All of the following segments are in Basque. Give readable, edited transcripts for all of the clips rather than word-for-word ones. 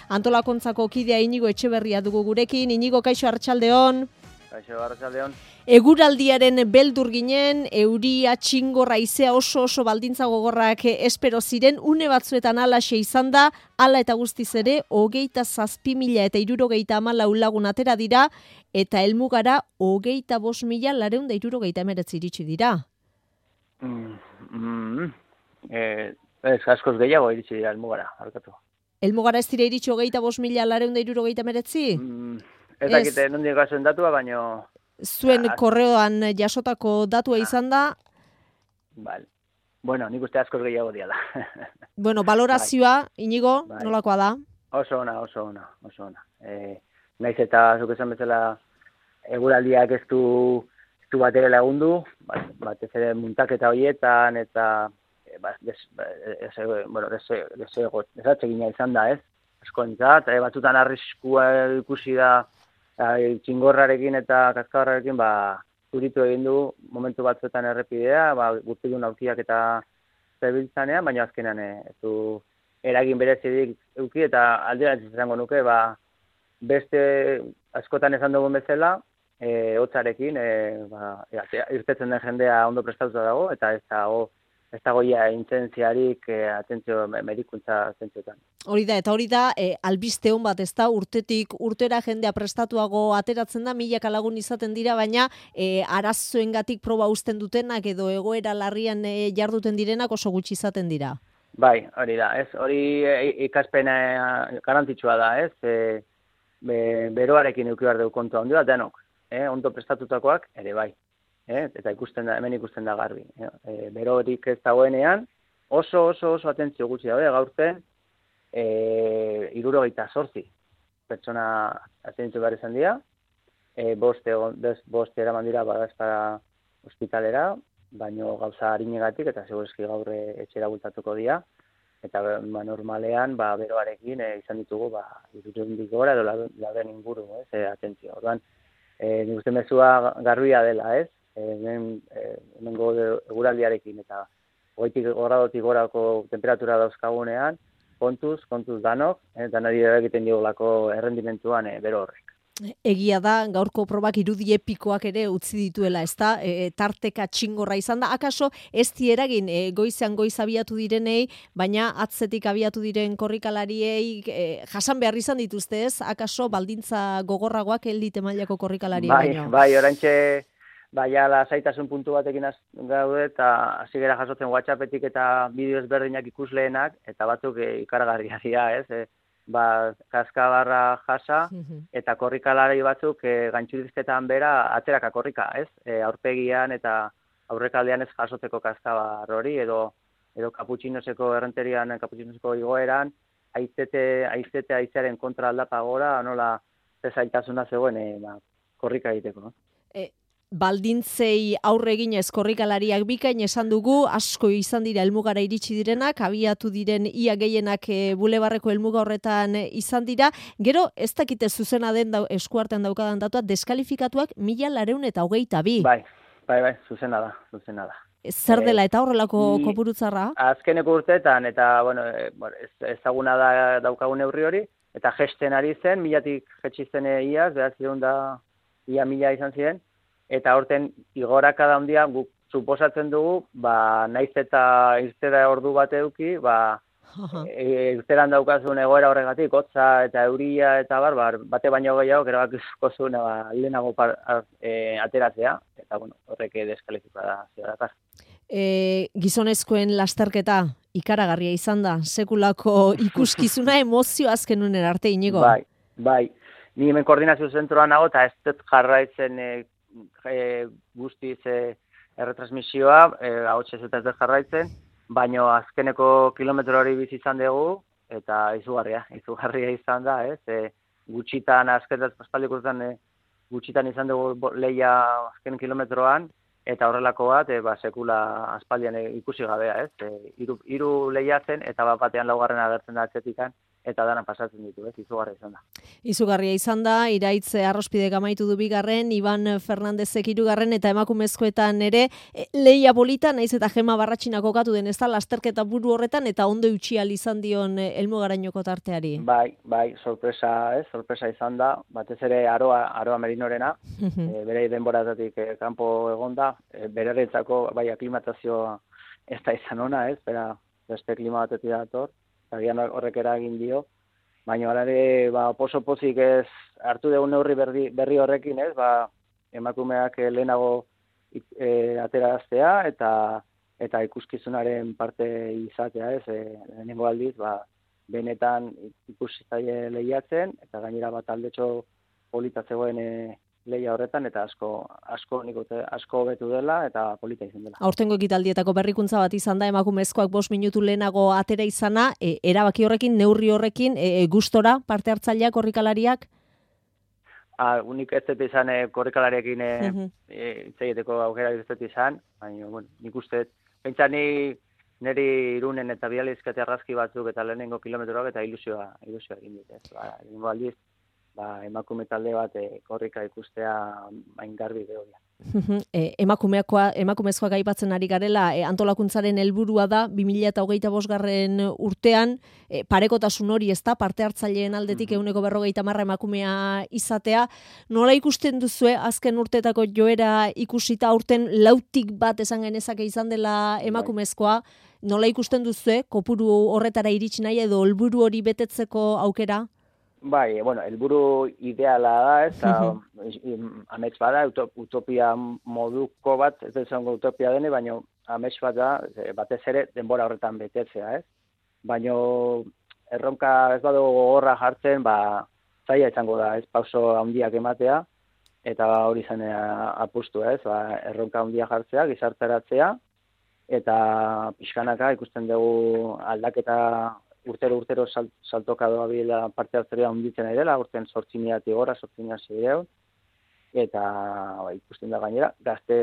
Antolakuntzako kidea Inigo Etxeberria dugu gurekin. Inigo, kaixo, arratsaldeon. Kaixo, arratsaldeon. Eguraldiaren beldur ginen, euria, txingorra, haizea oso baldintza gogorrak espero ziren, une batzuetan alaxe izan da, hala eta guztiz ere, 27.374 lagun atera dira, eta helmugara 25.469 iritsi dira. Ez, askoz gehiago iritsi dira helmugara, harkatu. Helmugara ez dira iritsi 25.469? Ez dakite nondik gazen datua, baino... Zuen korreoan jasotako datua izan da? Vale. Bueno, nik uste askoz gehiago diala. Bueno, balorazioa, Inigo, nolakoa da? Oso ona. Naiz eta zuk esan bezala eguraldiak ez du batere lagundu, batez ere muntaketa horietan eta desatsegina izan da, ez? Askoentzat, batzutan arriskua ikusi da txingorrarekin eta kaskabarrarekin zuritu egin du momentu batzuetan errepidea, guztidun aurkiak eta zebiltzanean, baina azkenean ez du eragin berezirik eduki eta alderantziz izango nuke, beste askotan esan dugun bezala, hotzarekin irtetzen den jendea ondo prestatuta dago, eta ez dago intentziarik atentzio medikuntza zentziotan. Hori da, albiste hon bat, ez da, urtetik urtera jendea prestatuago ateratzen da, milaka lagun izaten dira, baina arazoengatik proba uzten dutenak edo egoera larrian jarduten direnak oso gutxi izaten dira. Bai, hori da, ez, hori ikaspena garrantzitsua da, ez, beroarekin eduki behar dugu kontua ondio, denok, ondo prestatutakoak ere bai. Eta hemen ikusten da garbi. Berorik ez dagoenean, oso atentzio gutxi daude, gaurten 78 pertsona atentzio behar izan dira, bost eraman dira badazpara ospitalera, baino gauza harinegatik eta segurazki gaur etxera bultatuko dira, eta normalean beroarekin izan ditugu 200 gora edo lauden inguru, atentzio. Orduan, nik uste mezua garbia dela, ez? Hemengo eguraldiarekin eta 20 gradotik gorako temperatura dauzkagunean, kontuz danok, eta nari egiten diolako errendimentuan bero horrek. Egia da, gaurko probak irudi epikoak ere utzi dituela, ezta? Tarteka txingorra izan da, akaso ez eragin goizean goiz abiatu direnei, baina atzetik abiatu diren korrikalariei jasan behar izan dituzte, ez? Akaso baldintza gogorragoak elite mailako korrikalariei baino. Bai, oraintxe zaitasun puntu batekin gaude eta hasi gera jasotzen WhatsAppetik eta bideo ezberdinak ikusleenak eta batzuk ikaragarriak dira, ez? Kaskabarra jasa eta korrikalari batzuk gaintxurizketan bera atzeraka korrika, ez? Aurpegian eta aurrekaldean ez jasotzeko kaskabar hori edo kaputxinoseko errenterian, kaputxinoseko igoeran, haizearen kontra aldapa gora, nola zaitasuna zegoen korrika egiteko. Baldintzei aurre eginez korrikalariak bikain esan dugu, asko izan dira helmugara iritsi direnak, abiatu diren ia gehienak bulebarreko helmuga horretan izan dira. Gero, ez dakite zuzena den eskuartean daukadan datua, deskalifikatuak 1.422. Bai, zuzena da. Zer dela eta horrelako kopurutzarra? Azkeneko urteetan, eta ezaguna da daukagun neurri hori, eta jesten ari zen, 1.000-tik jetsi zen iaz, ia 1.000 izan ziren, eta horten igoraka da handia guk suposatzen dugu, naiz eta irtera ordu bat eduki, irteran daukazun egoera horregatik, hotza eta euria eta bate baino gehiago, erabakizko zuen lehenago ateratzea, eta horrek deskalifikazioa dakar. Gizonezkoen lasterketa ikaragarria izan da, sekulako ikuskizuna emozio azken unen arte, Inigo? Bai. Ni hemen koordinazio zentroan nago eta ez dut jarraitzen guztiz erretransmisioa, ahotsez eta ez dut jarraitzen, baino azkeneko kilometro hori bizi izan dugu, eta izugarria izan da, ez? Gutxitan, azkenetan gutxitan izan dugu lehia azken kilometroan, eta horrelako bat, sekula aspaldian ikusi gabea, ez? Hiru lehia zen, eta batean laugarren agertzen da atzetikan, eta dana pasatzen ditu, izugarria izan da. Izugarria izan da, Iraitz Arrospidek amaitu du bigarren, Iban Fernandezek hirugarren eta emakumezkoetan ere lehia polita, naiz eta Gema Barratxina kokatu den, ez da, lasterketa buru horretan eta ondo utxial izan dion helmugarainoko tarteari. Bai, sorpresa izan da, batez ere Aroa Merinorena, bere denboratatik kanpo egonda, berarentzako bai aklimatazioa ez da izan ona, beste klima batetik dator, agian horrek eragin dio, baina alare oso pozik ez hartu dugu neurri berri horrekin, emakumeak lehenago ateraztea eta ikuskizunaren parte izatea, lehenengo aldiz, benetan ikusitzaile lehiatzen, eta gainera bat aldetxo polita zegoen lehia horretan, eta asko hobetu dela, eta polita izan dela. Aurtengo ekitaldietako berrikuntza bat izan da, emakumezkoak 5 minutu lehenago atera izana, erabaki horrekin, neurri horrekin, gustora parte hartzaileak, korrikalariak? Unik ez dut izan korrikalariakin hitz egiteko aukera ez dut izan, baina nik uste, pentsa niri Irunen eta Bializkate arrazki batzuk eta lehenengo kilometroak eta ilusioa egin dit. Lehenengo aldiz, emakume talde bat korrika ikustea hain garbi behoia. Emakumezkoak aipatzen ari garela, antolakuntzaren helburua da 2025 urtean parekotasun hori, ez da, parte hartzaileen aldetik 150 emakumea izatea. Nola ikusten duzue azken urteetako joera ikusita aurten 4tik bat esan genezake izan dela emakumezkoa? Nola ikusten duzue kopuru horretara iritsi nahi edo helburu hori betetzeko aukera? Bai, helburu ideala da, eta amets bada, utopia moduko bat, ez da izango utopia dene, baina amets bat da, batez ere denbora horretan betetzea, baina erronka ez badu gogorra jartzen, zaila izango da, pauso handiak ematea, eta hori zen apustu, erronka handia jartzea, gizarteratzea, eta pixkanaka ikusten dugu aldaketa urtero saltoka doa bila parte hartzeria handitzen ari dela, urten 8.000 gora, 8.600, eta ikusten da gainera, gazte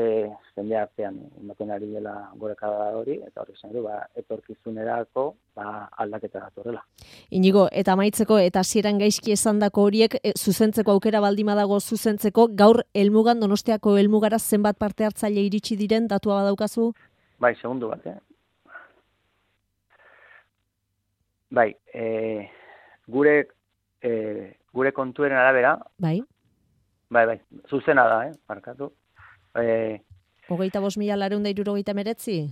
jende artean ematen ari dela gorakada hori, eta hori zen du, etorkizunerako aldaketa datorrela. Inigo, eta amaitzeko, eta hasieran gaizki esandako horiek, zuzentzeko aukera baldima dago zuzentzeko, gaur helmugan Donostiako helmugara zenbat parte hartzaile iritsi diren, datua badaukazu? Bai, segundu bat, Bai, gure kontueren arabera. Bai, zuzena da, markatu. 25.969?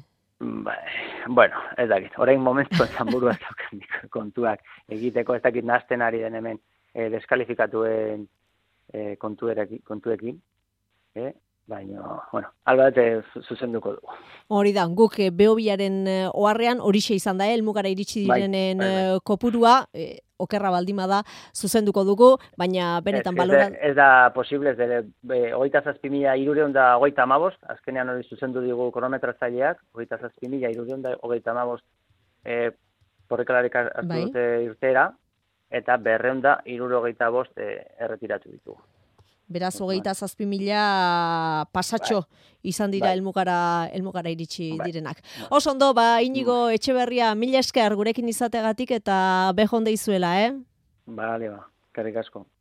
Ez dakit, orain momentu zanburu ez dauken kontuak egiteko, ez dakit nazten ari den hemen deskalifikatuen kontuekin, baina, albat zuzenduko dugu. Hori da, guk Behobiaren oharrean horixe izan da, helmugara iritsi direnen kopurua, okerra baldima da, zuzenduko dugu, baina benetan baloran... Ez da posible, ez dere, 27.355, azkenean hori zuzendu digu kronometratzaileak, 27.355 korrikalarik hartu dute irteera, eta 265 erretiratu ditugu. Beraz, 27.000 pasatxo izan dira helmugara iritsi direnak. Oso ondo, Inigo Etxeberria, 1000 esker gurekin izategatik eta behon deizuela, Bale, eskerrik asko.